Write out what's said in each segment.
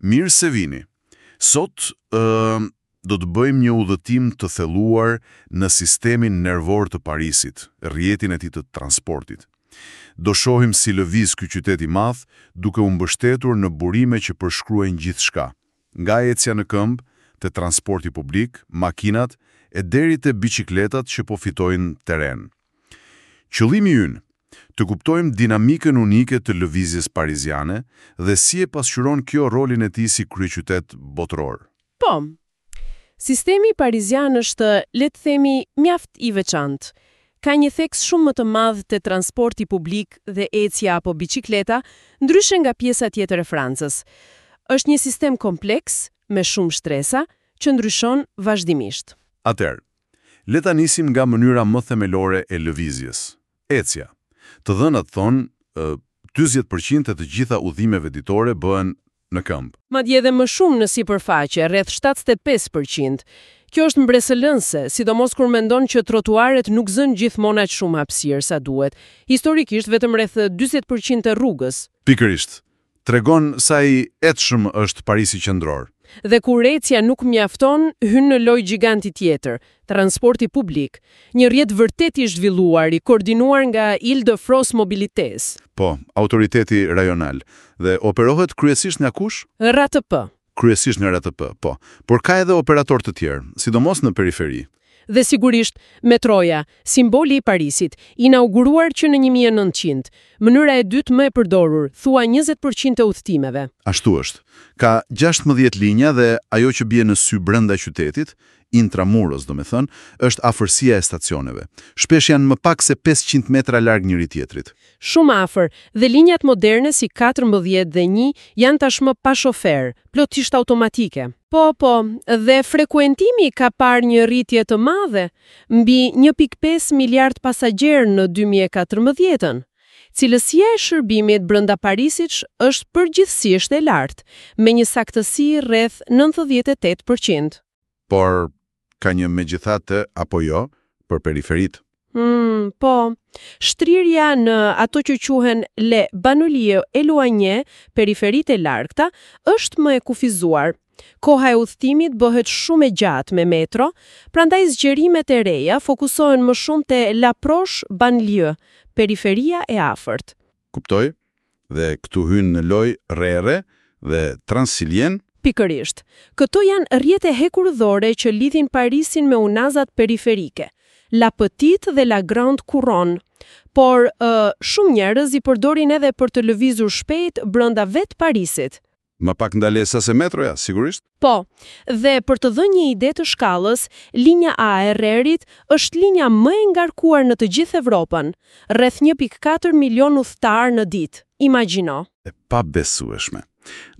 Mirë se vini. Sot ë do të bëjmë një udhëtim të thelluar në sistemin nervor të Parisit, rrjetin e tij të transportit. Do shohim si lëviz ky qytet i madh, duke u mbështetur në burime që përshkruajnë gjithçka, nga ecja në këmbë, te transporti publik, makinat e deri te biçikletat që po fitojnë terren. Qëllimi ynë, të kuptojmë dinamikën unike të lëvizjes pariziane dhe si e pasqyron kjo rolin e tij si kryeqytet botëror. Po. Sistemi parizian është, le të themi, mjaft i veçantë. Ka një theks shumë më të madh te transporti publik dhe ecja apo biçikleta, ndryshe nga pjesa tjetër e Francës. Është një sistem kompleks, me shumë shtresa, që ndryshon vazhdimisht. Atëherë, le ta nisim nga mënyra më themelore e lëvizjes, ecja. Të dhënat thonë, ë, 40% e të gjitha udhimeve ditore bëhen në këmbë. Madje edhe më shumë në sipërfaqe, rreth 75%. Kjo është mbresëlënëse, sidomos kur mendon që trotuaret nuk zënë gjithmonë aq shumë hapësirë sa duhet. Historikisht vetëm rreth 40% të rrugës. Pikërisht, tregon sa i etshëm është Parisi qendror. Dhe kur ecja nuk mjafton, hyn në lojë gjiganti tjetër, transporti publik, një rrjet vërtet i zhvilluar, i koordinuar nga Île-de-France Mobilités. Po, autoriteti rajonal. Dhe operohet kryesisht nga kush? RATP. Kryesisht nga RATP, po. Por ka edhe operator të tjerë, sidomos në periferi. Dhe sigurisht, metroja, simboli i Parisit, inauguruar që në 1900, mënyra e dytë më e përdorur, thua 20% e udhëtimeve. Ashtu është. Ka 16 linja dhe ajo që bie në sy brenda qytetit, intramuros, do me thënë, është afërsia e stacioneve. Shpesh janë më pak se 500 metra larg njëri tjetrit. Shumë afër, dhe linjat moderne si 14 dhe 1 janë tashmë pa shofer, plotësisht automatike. Po, po, dhe frekuentimi ka parë një rritje të madhe, mbi 1.5 miliard pasagjerë në 2014-ën. Cilësia e shërbimit brenda Parisit është përgjithsisht e lartë, me një saktësi rreth 98%. Por ka një megjithatë apo jo për periferitë. Po, shtrirja në ato që quhen les banlieues éloignées, periferitë e largëta, është më e kufizuar. Koha e udhëtimit bëhet shumë e gjatë me metro, prandaj zgjerimet e reja fokusohen më shumë te la proche banlieue, periferia e afërt. Kuptoj? Dhe këtu hyn në lojë RER dhe Transilien. Pikërisht. Këto janë rrjete hekurudhore që lidhin Parisin me unazat periferike, La Petite dhe La Grande Couronne. Por ë, shumë njerëz i përdorin edhe për të lëvizur shpejt brenda vetë Parisit. Më pak ndalesa se metroja, sigurisht. Po, dhe për të dhënë një ide të shkallës, linja A e RER-it është linja më e ngarkuar në të gjithë Evropën, rreth 1.4 milion udhëtar në ditë. Imagjino. E pabesueshme.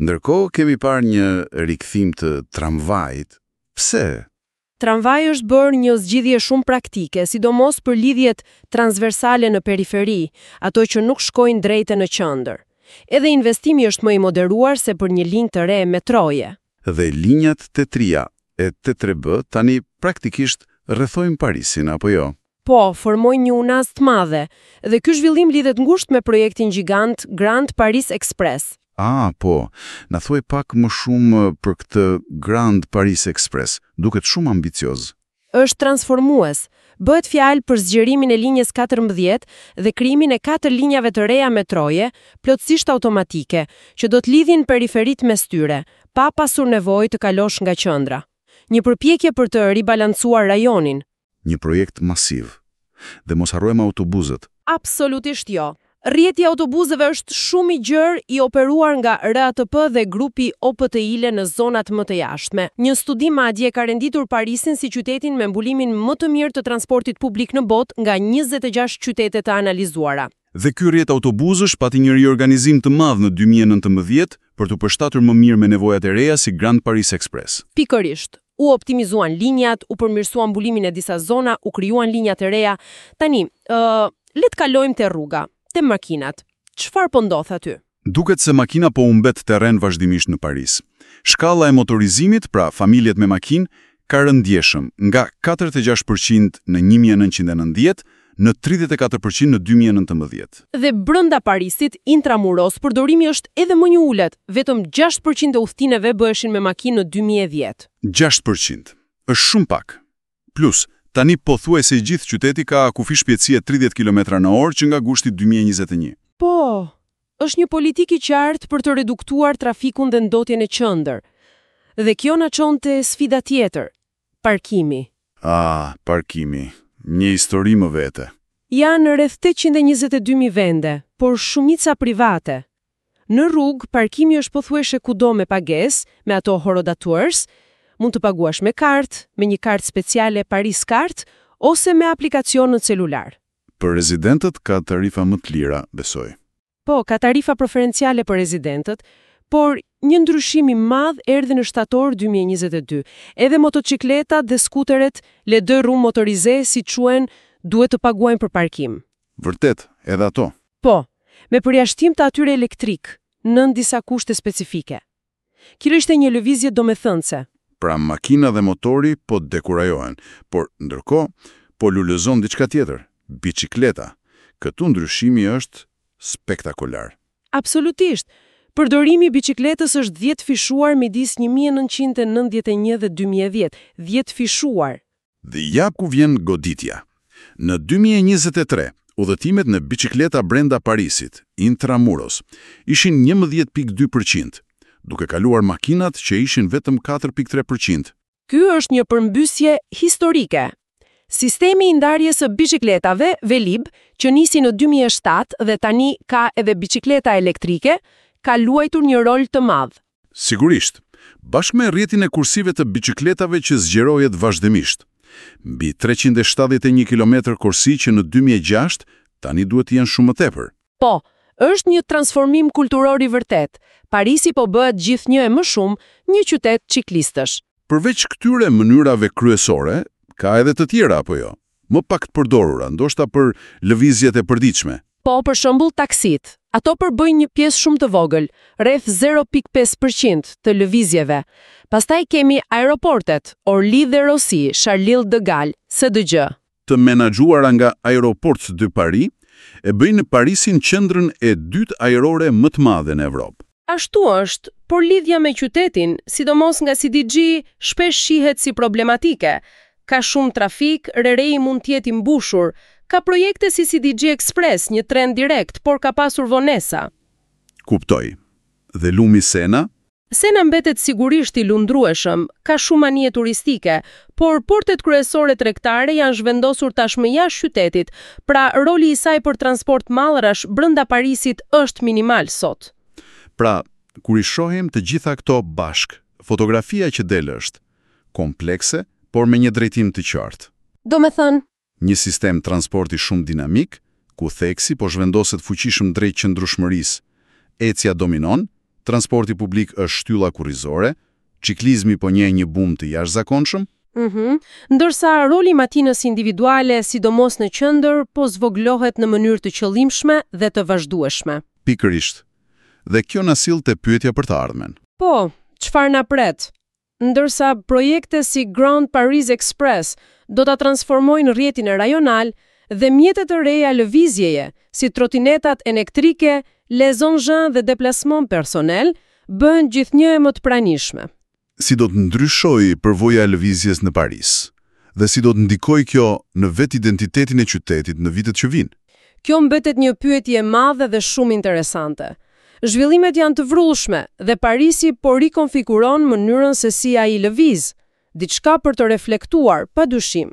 Ndërkohë kemi parë një rikthim të tramvajit. Pse? Tramvaji është bërë një zgjidhje shumë praktike, sidomos për lidhjet transversale në periferi, ato që nuk shkojnë drejt e në qendër. Edhe investimi është më i moderuar se për një linjë të re metroje. Dhe linjat T3 e T3B tani praktikisht rrethojnë Parisin, apo jo? Po, formojnë një unazë të madhe, dhe ky zhvillim lidhet ngushtë me projektin gjigant Grand Paris Express. Ah, po, na thuaj pak më shumë për këtë Grand Paris Express, duket shumë ambicioz. Është transformues. Bëhet fjalë për zgjerimin e linjës 14 dhe krijimin e katër linjave të reja metroje, plotësisht automatike, që do të lidhin periferitë mes tyre, pa pasur nevojë të kalosh nga qendra. Një përpjekje për të ribalancuar rajonin. Një projekt masiv. Dhe mos harrojmë autobuzët. Absolutisht jo. Rrjeti i autobuzëve është shumë i gjerë i operuar nga RATP dhe grupi OPTIL në zonat më të jashtme. Një studim madje ka renditur Parisin si qytetin me mbulimin më të mirë të transportit publik në botë nga 26 qytete të analizuara. Dhe ky rrjet autobuzësh pati një riorganizim të madh në 2019 për t'u përshtatur më mirë me nevojat e reja si Grand Paris Express. Pikërisht, u optimizuan linjat, u përmirësuan mbulimin e disa zona, u krijuan linja të reja. Tani, ë, le të kalojmë te rruga, te makinat. Çfarë po ndodh aty? Duket se makina po humbet terren vazhdimisht në Paris. Shkalla e motorizimit, pra familjet me makinë, ka rënë ndjeshëm nga 46% në 1990 në 34% në 2019. Dhe brenda Parisit, intramuros, përdorimi është edhe më i ulët, vetëm 6% e udhëtimeve bëheshin me makinë në 2010. 6%. Është shumë pak. Plus, tani pothuajse i gjithë qyteti ka kufi shpejtësie 30 km në orë që nga gushti 2021. Po, është një politikë e qartë për të reduktuar trafikun dhe ndotjen e qendër. Dhe kjo na çon te sfida tjetër, parkimi. Ah, parkimi. Një histori më vete. Janë rreth 822.000 vende, por shumica private. Në rrugë, parkimi është pothuajse kudo me pagesë, me ato horodators, mund të paguash me kartë, me një kartë speciale Paris Card, ose me aplikacion në celular. Për rezidentët ka tarifa më të lira, besoj. Po, ka tarifa preferenciale për rezidentët, por një ndryshim i madh erdhi në shtator 2022. Edhe motocikletat dhe skuteret, les deux roues motorisées, si quhen, duhet të paguajnë për parkim. Vërtet, edhe ato. Po, me përjashtim të atyre elektrik, nën disa kushte specifike. Kjo ishte një lëvizje domethënëse. Pra makina dhe motori po dekurajohen, por ndërkohë po lulëzon diçka tjetër, bicikleta. Këtu ndryshimi është spektakolar. Absolutisht. Përdorimi i bicikletës është 10 fishuar midis 1991 dhe 2010, 10 fishuar. Dhe ja ku vjen goditja. Në 2023, udhëtimet në bicikleta brenda Parisit, intramuros, ishin 11.2%, duke kaluar makinat që ishin vetëm 4.3%. Ky është një përmbysje historike. Sistemi i ndarjes së bicikletave, Velib, që nisi në 2007 dhe tani ka edhe bicikleta elektrike, ka luajtur një rol të madh. Sigurisht, bashkë me rrjetin e kursive të bicikletave që zgjerohet vazhdimisht. Mbi 371 km korsi që në 2006, tani duhet të jenë shumë më tepër. Po, është një transformim kulturor i vërtet. Parisi po bëhet gjithnjë e më shumë një qytet ciklistësh. Përveç këtyre mënyrave kryesore, ka edhe të tjera apo jo? Më pak të përdorura, ndoshta për lëvizjet e përditshme. Po, për shembull taksit. Ato përbëjnë një pjesë shumë të vogël, rreth 0.5% të lëvizjeve. Pastaj kemi aeroportet, Orly dhe Roissy, Charles de Gaulle, CDG. Të menaxhuara nga Aéroports de Paris, e bëjnë Parisin qendrën e dytë ajrore më të madhe në Evropë. Ashtu është, por lidhja me qytetin, sidomos nga CDG, shpesh shihet si problematike. Ka shumë trafik, RER-i mund të jetë i mbushur, ka projekte si CDG Express, një tren direkt, por ka pasur vonesa. Kuptoj. Dhe lumi Sena? Sena mbetet sigurisht i lundrueshëm, ka shumë anije turistike, por portet kryesore tregtare janë zhvendosur tashmë jashtë qytetit, pra roli i saj për transport mallrash brenda Parisit është minimal sot. Pra, kur i shohim të gjitha këto bashkë, fotografia që del është komplekse, por me një drejtim të qartë. Do me thënë? Një sistem transporti shumë dinamik, ku theksi po zhvendoset fuqishëm drejt qëndrueshmërisë. Ecja dominon, transporti publik është shtylla kurrizore, ciklizmi po njeh një bum të jashtëzakonshëm. Ndërsa roli i makinës individuale, sidomos në qendër, po zvogëlohet në mënyrë të qëllimshme dhe të vazhdueshme. Pikërisht. Dhe kjo na sill te pyetja për të ardhmen. Po, çfarë na pret? Ndërsa projekte si Grand Paris Express do ta transformojnë rrjetin rajonal dhe mjetet të reja lëvizjeje, si trotinetat elektrike, les engins de déplacement personnel, bëhen gjithnjë e më të pranishme. Si do të ndryshojë përvoja e lëvizjes në Paris? Dhe si do të ndikojë kjo në vetë identitetin e qytetit në vitet që vijnë? Kjo mbetet një pyetje e madhe dhe shumë interesante. Zhvillimet janë të vrullshme dhe Parisi po rikonfiguron mënyrën se si ai lëviz. Diçka për të reflektuar, pa dyshim.